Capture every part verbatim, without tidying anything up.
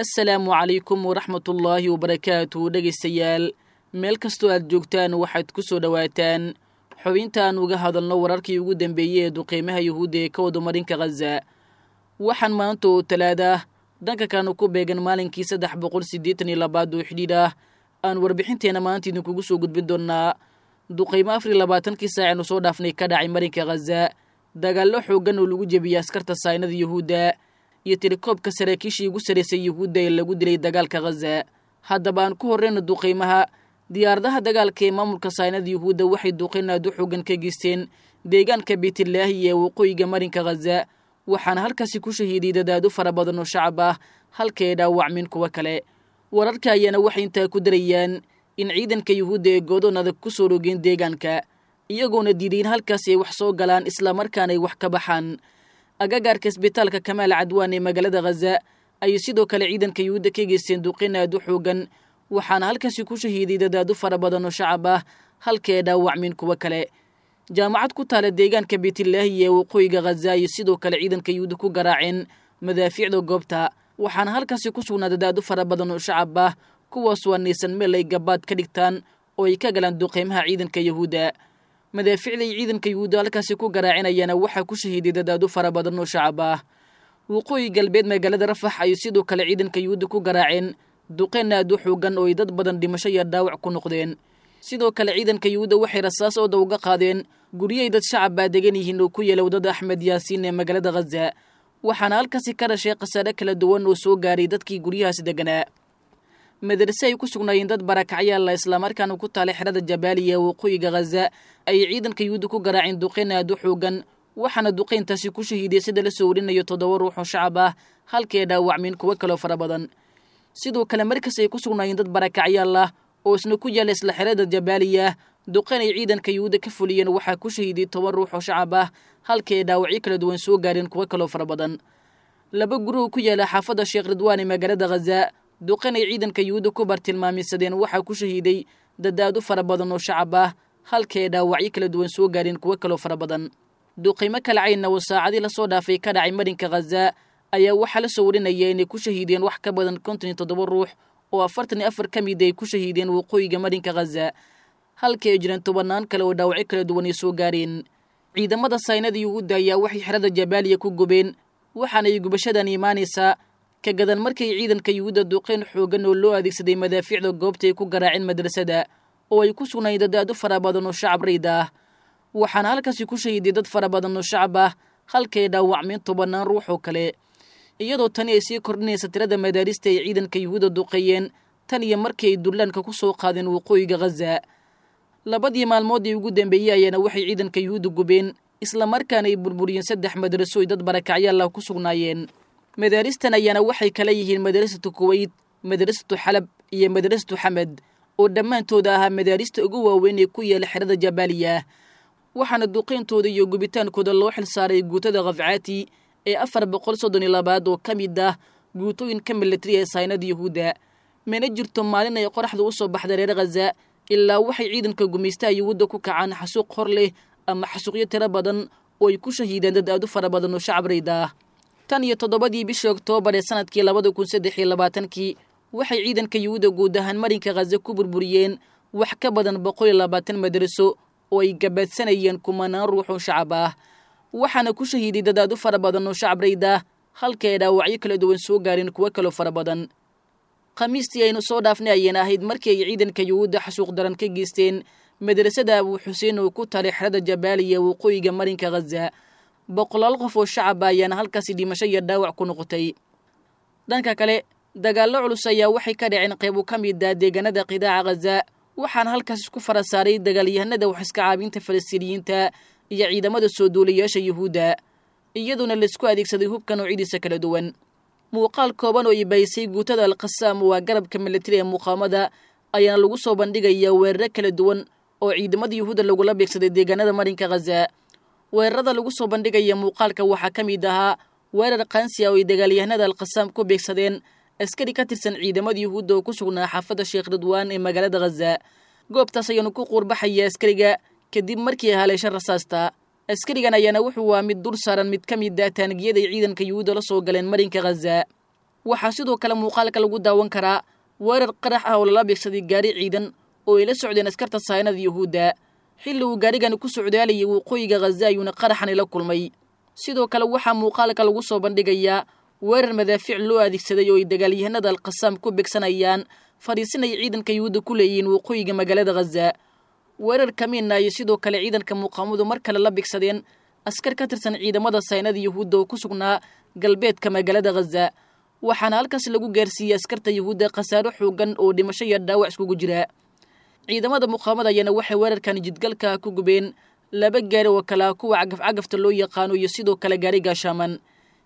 Assalaamu calaykum waraxmatullaahi wabarakaatu. Dhegaystayaal, meel kastoo aad joogtaan, waxaad ku soo dhowaataan xubintaan uga hadalno wararkii ugu dambeeyey ee duqeymaha yuhuudda ee ka wada marinka Khaza. Waxaan maanta oo talaada ah, dhanka kaanu ku beegan maalinkii saddex boqol siddeetan iyo labaad oo xidhiidh ah, aan warbixinteena maanta idinkugu soo gudbin doonnaa duqeymo afar iyo labaatankii saacenu soo dhaafnay ka dhacay marinka Khaza, dagaallo xooggan oo lagu jebiyey askarta saynada yuhuudda, iyo tirakoobka saraakiishii ugu sarraysay yuhuudda ee lagu dilay dagaalka Khaza. Haddaba aan ku horreyno duqeymaha. Diyaaradaha dagaalka ee maamulka saynada yuhuudda waxay duqeyn aad u xooggan ka geysteen deegaanka Beytlaahi ee waqooyiga marinka Khaza, waxaana halkaasi ku shahiiday dadaado fara badan oo shacab ah, halka ay dhaawacmeen kuwo kale. Wararka ayaana waxay intaa ku darayaan in ciidanka yuhuudda ee goodoon adag ku soo rogeen deegaanka, iyagoona diiday in halkaasi ay wax soo galaan islamarkaana ay wax ka baxaan. Agagaarka isbitaalka Kamaal Cadwaan ee magaalada Khaza ayay sidoo kale ciidanka yuhuudda ka geysteen duqeyn aad u xooggan, waxaana halkaasi ku shahiiday dadaado fara badan oo shacab ah, halka ay dhaawacmeen kuwo kale. Jaamacad ku taala deegaanka Beytlaahi ee waqooyiga Khaza ayay sidoo kale ciidanka yuhuudda ku garaaceen madaafiicda goobta, waxaana halkaasi ku sugnaa dadaado fara badan oo shacab ah, kuwaas waa naysan meel ay gabaad ka dhigtaan oo ay ka galaan duqeymaha ciidanka yuhuudda. Madaafiicda ay ciidanka yuhuudda halkaasi ku garaacinayana waxaa ku shahiiday dadaado fara badan oo shacab ah. Waqooyi galbeed magaalada Rafax ayay sidoo kale ciidanka yuhuudda ku garaaceen duqeyn aad u xoogan oo ay dad badan dhimasho iyo dhaawac ku noqdeen. Sidoo kale ciidanka yuhuudda waxay rasaas ooda uga qaadeen guryahay dad shacab baa degan yihiin oo ku yeela waddada Axmed Yaasiin ee magaalada Khaza, waxaana halkaasi ka dhashay khasaare kala duwan oo soo gaaray dadkii guryahaasi deganaa. Madarse ay ku sugnaayeen dad barakacyaalla islamarkaana ku taalay xerada Jabaaliya ee waqooyiga Khaza ayay ciidanka yuhuudda ku garaaceen duqeyn aad u xoogan, waxaana duqeyntaasi ku shahiiday sida la soo warinayo toddoba ruux oo shacab ah, halka ay dhaawacmeen kuwo kaloo fara badan. Sidoo kale markas ay ku sugnaayeen dad barakacyaal ah oo isna ku yaala isla xerada Jabaaliya, duqeyn ay ciidanka yuhuudda ka fuliyeen waxaa ku shahiiday toban ruux oo shacab ah, halka ay dhaawacyo kala duwan soo gaareen kuwo kaloo fara badan. Laba guri oo ku yaala xaafadda Sheekh Ridwaan ee magaalada Khaza, duqeyn ay ciidanka yuhuudda ku bartilmaameysadeen waxaa ku shahiiday dadaado fara badan oo shacab ah, halka ay dhaawacyo kala duwan soo gaareen kuwo kaloo fara badan. Duqeymo kala caynna oo saacadii lasoo dhaafay ka dhacay marinka Khaza ayaa waxaa la soo warinaya inay ku shahiideen wax ka badan konton iyo toddoba ruux, oo afartan iyo afar ka mid ay ku shahiideen waqooyiga marinka Khaza, halka ay jiraan tobannaan kale oo dhaawacyo kala duwan ay soo gaareen. Ciidamada saynada yuhuudda ayaa waxay xerada Jabaaliya ku gubeen, waxaana ay gubashadan imaanaysaa ka gadan markay ciidanka yuhuudda duqeyn xooggan oo loo adeegsaday madaafiicda goobta ay ku garaaceen madrasada oo ay ku sugnaayeen dadaado fara badan oo shacab rayd ah, waxaana halkaasi ku shahiiday dad fara badan oo shacab ah, halka ay dhaawacmeen tobannaan ruux oo kale, iyadoo tani ay sii kordhinaysa tirada madaarista ay ciidanka yuhuudda duqeeyeen tan iyo markii ay dullaanka ku soo qaadeen waqooyiga Khaza. Labadii maalmood ee ugu dambeeyey ayaana waxay ciidanka yuhuudda gubeen islamarkaana ay burburiyeen saddex madraso ay dad barakacyaal ah ku sugnaayeen. Madaaristan ayaana waxay kala yihiin madrasatu Kuweyt, madrasatu Xalab iyo madrasatu Xamed, oo dhammaantooda ahaa madaarista ugu waaweyn ee ku yaala xerada Jabaaliya, waxaana duqeyntooda iyo gubitaankooda loo xil saaray guutada Khafcaati ee afar boqol soddon iyo labaad oo ka mid ah guutooyinka militari ee saynada yuhuudda. Mana jirto maalin ay qoraxda u soo baxda reer Khaza ilaa waxay ciidanka gumaystaha yuhuudda ku kacaan xasuuq hor leh ama xasuuqyo tiro badan oo ay ku shahiidaan dad aad u fara badan oo shacab rayd ah. Tan iyo toddobadii bishii Oktoobar ee sanadkii labada kun saddex iyo labaatankii waxay ciidanka yuhuudda guud ahaan marinka Khaza ku burburiyeen wax ka badan boqol iyo labaatan madraso oo ay gabaadsanayeen kumanaan ruux oo shacab ah, waxaana ku shahiiday dad aad u fara badan oo shacab rayd ah, halka ay dhaawacyo kala duwan soo gaareen kuwo kaloo fara badan. Khamiistii aynu soo dhaafnay ayayna ahayd markii ay ciidanka yuhuudda xasuuq daran ka geysteen madrasada Abuu Xuseen oo ku talay xerada Jabaaliya waqooyiga marinka Khaza. Boqolaal qof oo shacab ah ayaana halkaasi dhimasho iyo dhaawac ku noqotay. Dhanka kale dagaallo culus ayaa waxay ka dhaceen qaybo ka mid ah deegaanada qidaaca Khaza, waxaana halkaas isku fara saaray dagaalyahanada wax iska caabinta Falastiiniyiinta iyo ciidamada soo duulayaasha yuhuudda, iyadoona laisku adeegsaday hubka noocyadiisa kala duwan. Muuqaal kooban oo ibaysay guutada Alqasaam, waa garabka militari ee muqaamada, ayaana lagu soo bandhigayaa weeraro kala duwan oo ciidamada yuhuudda lagula beegsaday deegaanada marinka Khaza. Weerarada lagu soo bandhigaya muuqaalka waxaa ka mid ahaa weerar qaansi ah oo ay dagaalyahanada Alqasaam ku beegsadeen askari ka tirsan ciidamada yuhuudda oo ku sugnaa xaafadda Sheekh Ridwaan ee magaalada Khaza. Goobtaas ayaanu ku quurbaxaya askariga kadib markii haleesha rasaasta. Askarigan ayaana wuxuu waa mid dul saaran mid ka mid ah taangiyada ay ciidanka yuhuudda la soo galeen marinka Khaza. Waxaa sidoo kale muuqaalka lagu daawan karaa weerar qarax ah oo lala beegsaday gaari ciidan oo ay la socdeen askarta sahaynada yuhuudda. Xilli uu gaarigani ku socdaalayay waqooyiga Khaza ayuuna qaraxani la kulmay. Sidoo kale waxaa muuqaalka lagu soo bandhigayaa weerar madaafiic loo adeegsaday oo ay dagaalyahanada Alqasaam ku beegsanayaan fadhiisinay ciidanka yuhuudda ku leeyihiin waqooyiga magaalada Khaza. Weerar kamiina ayay sidoo kale ciidanka muqaawamadu mar kale la beegsadeen askar ka tirsan ciidamada saynada yuhuudda oo ku sugnaa galbeedka magaalada Khaza, waxaana halkaas lagu gaarsiiyey askarta yuhuudda khasaaro xoogan oo dhimasho iyo dhaawac iskugu jira. Ciidamada muqaawamada ayaana waxay weerarkan jidgalka ku gubeen laba gaari oo kala kuwa cagaf-cagafta loo yaqaano iyo sidoo kale gaari gaashaaman.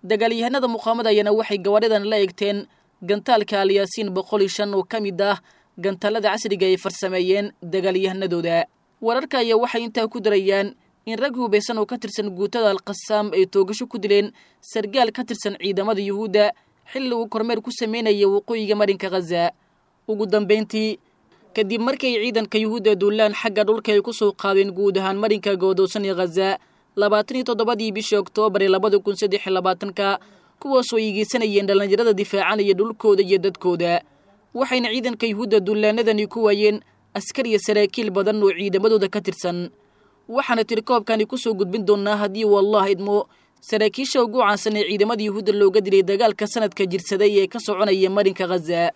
Dagaalyahanada muqaawamada ayaana waxay gawaadhidan la eegteen gantaalka Alyaasiin boqol iyo shan oo ka mid ah gantaalada casriga ay farsameeyeen dagaalyahanadooda. Wararka ayaa waxay intaa ku darayaan in rag hubaysan oo ka tirsan guutada Alqasaam ay toogasho ku dileen sargaal ka tirsan ciidamada yuhuudda xilli uu kormeer ku sameynayay waqooyiga marinka Khaza. Ugu dambeyntii, kadib markay ciidanka yuhuudda duulaan xagga dhulka ay ku soo qaadeen guud ahaan marinka goodoosan ee Khaza labaatan iyo toddobadii bishii Oktoobar ee labada kun saddex iyo labaatanka, kuwaasoo ay geysanayeen dhallinyarada difaacanaya dhulkooda iyo dadkooda, waxayna ciidanka yuhuudda duulaanadani ku waayeen askar iyo saraakiil badan oo ciidamadooda ka tirsan. Waxaana tirikoobkani ku soo gudbin doonnaa haddii wallah idmo saraakiisha ugu caansan ee ciidamada yuhuudda looga dilay dagaalka sanadka jirsaday ee ka soconaya marinka Khaza.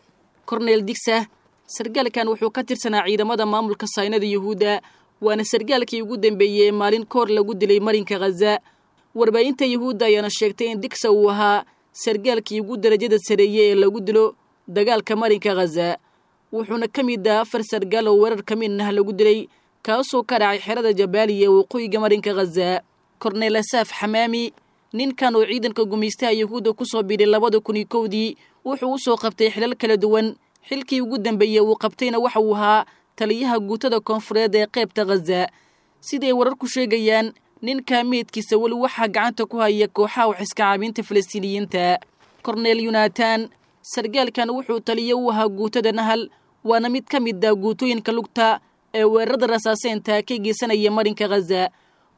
Korneel Digsa, sargaalkan wuxuu ka tirsanaa ciidamada maamulka saynada yuhuudda, waana sargaalkii ugu dambeeyey ee maalin koor lagu dilay marinka Khaza. Warbaahinta yuhuudda ayaana sheegtay in Digsa uu ahaa sargaalkii ugu darajada sareeyey ee lagu dilo dagaalka marinka Khaza, wuxuuna ka mid ahaa afar sargaal oo weerar ka midnah lagu dilay kaasoo ka dhacay xerada Jabaaliya ee waqooyiga marinka Khaza. Korneel Asaaf Xamaami, ninkan oo ciidanka gumaystaha yuhuudda ku soo biiray labada kun iyo kowdii, wuxuu u soo qabtay xilal kala duwan. Xilkii ugu dambeeyey uu qabtayna waxa uu ahaa taliyaha guutada koonfureed ee qaybta Khaza. Siday wararku sheegayaan, ninka meydkiisa weli waxaa gacanta ku haya kooxaha wax iska caabinta Falastiiniyiinta. Korneel Yunatan, sargaalkan wuxuu taliye u ahaa guutada Nahal, waana mid ka mid ah guutooyinka lugta ee weerarada rasaaseynta ka geysanaya marinka Khaza.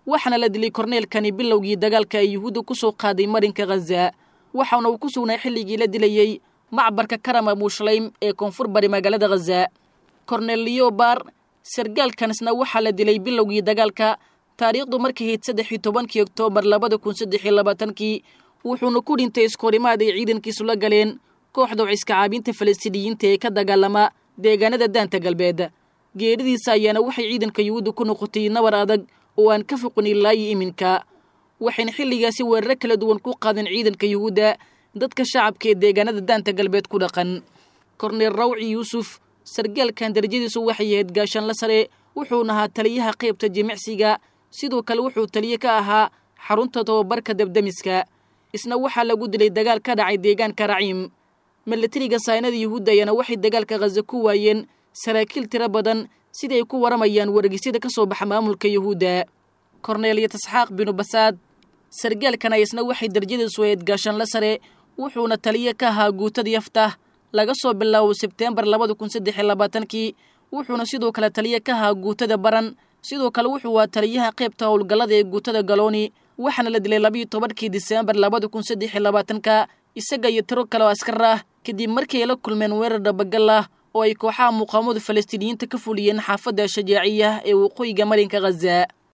Waxaana la dilay korneelkani bilowgii dagaalka ay yuhuudda ku soo qaaday marinka Khaza, waxaana uu ku sugnaa xilligii la dilayey macbarka Karama Mushleym ee koonfur bari magaalada Khaza. Korneel Leobar, sargaalkanisna waxaa la dilay bilowgii dagaalka, taariikhdu markay ahayd saddex iyo tobankii Oktoobar labada kun saddex iyo labaatankii, wuxuuna ku dhintay iskoorimaad ay ciidankiisu la galeen kooxda wax iska caabinta Falastiiniyiinta ee ka dagaalama deegaanada Daanta Galbeed. Geeridiisa ayaana waxay ciidanka yuhuudda ku noqotay nabar adag oo aan ka foqin ilaa iyo iminka, waxayna xilligaasi weeraro kala duwan ku qaadeen ciidanka yuhuudda dadka shacabka ee deegaanada Daanta Galbeed ku dhaqan. Korneel Rawci Yuusuf, sargaalkan darajadiisu waxay ahayd gaashaanla sare, wuxuuna ahaa taliyaha qaybta jimicsiga, sidoo kale wuxuu taliye ka ahaa xarunta tababarka dabdemiska. Isna waxaa lagu dilay dagaal ka dhacay deegaanka Raciim. Milatariga saynada yuhuudda ayaana waxay dagaalka Khaza ku waayeen saraakiil tiro badan, sida ay ku waramayaan wargeysyada ka soo baxa maamulka yuhuudda. Korneel Yatasxaaq binu Basaad, sargaalkan ayisna waxay darajadiisu ahayd gaashaanla sare, wuxuuna taliye ka ahaa guutada Yaftah laga soo bilaabo Sebteembar labada kun saddex iyo labaatankii, wuxuuna sidoo kale taliye ka ahaa guutada Baran. Sidoo kale wuxuu waa taliyaha qaybta howlgallada ee guutada Galooni, waxaana la dilay labiiyo tobankii Diseembar labada kun saddex iyo labaatanka isaga iyo tiro kale oo askar ah, kadib markii ay la kulmeen weerar dhabagal ah oo ay kooxaha muqaawamada Falastiiniyiinta ka fuliyeen xaafadda Shajaaciya ee waqooyiga marinka Khaza.